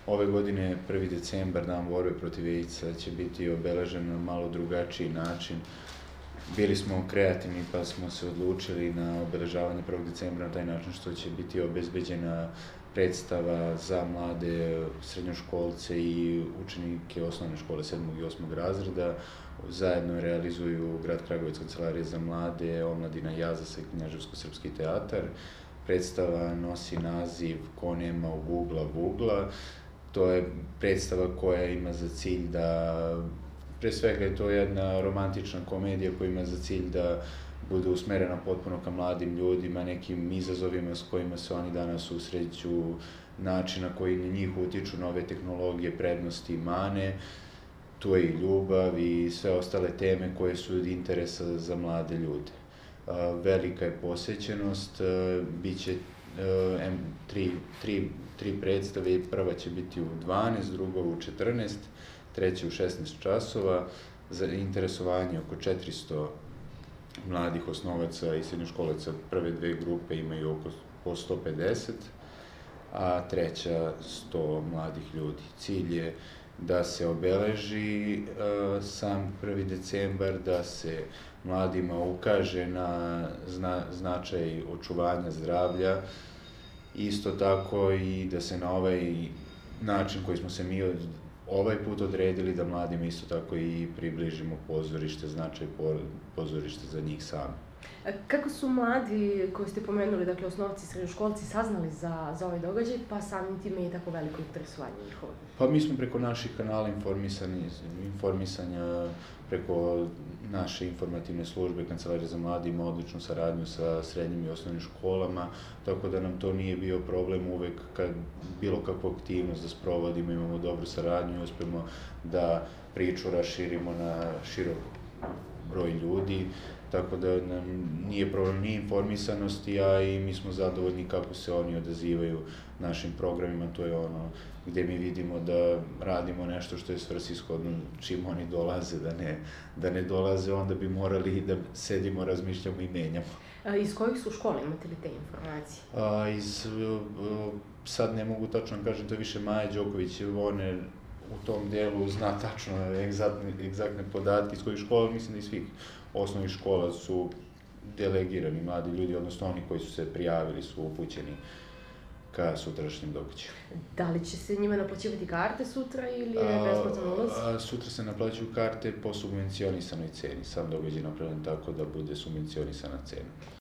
Ove godine 1. decembar, Dan borbe protiv AIDS-a, će biti obeležen na malo drugačiji način. Bili smo kreativni pa smo se odlučili na obeležavanje 1. decembra na taj način što će biti obezbeđena predstava za mlade srednjoškolce i učenike osnovne škole 7. i 8. razreda. Zajedno realizuju Grad Kragujevac, Kancelarija za mlade, Omladina Jazas i Knjaževsko-srpski teatar. Predstava nosi naziv Ko nema u Gugla Vugla. To je predstava koja ima za cilj da, pre svega je to jedna romantična komedija koja ima za cilj da bude usmerena potpuno ka mladim ljudima, nekim izazovima s kojima se oni danas susreću, način na koji na njih utiču nove tehnologije, prednosti i mane. Tu je i ljubav i sve ostale teme koje su od interesa za mlade ljude. Velika je posećenost, biće tri predstave, prva će biti u 12, druga u 14, treća u 16 časova. Za interesovanje oko 400 mladih osnovaca i srednjoškolaca prve dve grupe imaju oko po 150, a treća 100 mladih ljudi. Cilj je da se obeleži sam 1. decembar, da se mladima ukaže na značaj očuvanja zdravlja, isto tako i da se na ovaj način koji smo se mi ovaj put odredili da mladima isto tako i približimo pozorište, značaj pozorište za njih sami. Kako su mladi, koji ste pomenuli, dakle osnovci i srednjoškolci, saznali za ovaj događaj, pa samim time i tako veliko interesovanje njihovo? Pa mi smo preko naših kanala informisanja, preko naše informativne službe, Kancelarija za mlade ima odličnu saradnju sa srednjim i osnovnim školama, tako da nam to nije bio problem uvek kad bilo kakvu aktivnost da sprovodimo, imamo dobru saradnju i uspemo da priču raširimo na širok broj ljudi, tako da nam nije problem ni informisanosti, a i mi smo zadovoljni kako se oni odazivaju našim programima, to je ono gde mi vidimo da radimo nešto što je svrsishodno čim oni dolaze, da ne dolaze, onda bi morali da sedimo, razmišljamo i menjamo. Iz kojih su škola, imate li te informacije? Sad ne mogu tačno da kažem, to je više Maja Đoković, one u tom delu zna tačno egzaktne podatke iz kojih škola, mislim da iz svih osnovnih škola su delegirani mladi ljudi, odnosno oni koji su se prijavili su upućeni ka sutrašnjem događaju. Da li će se njima naplaćivati karte sutra ili je besplatan ulaz? Sutra se naplaćuju karte po subvencionisanoj ceni. Sam događaj je napravljen tako da bude subvencionisana cena.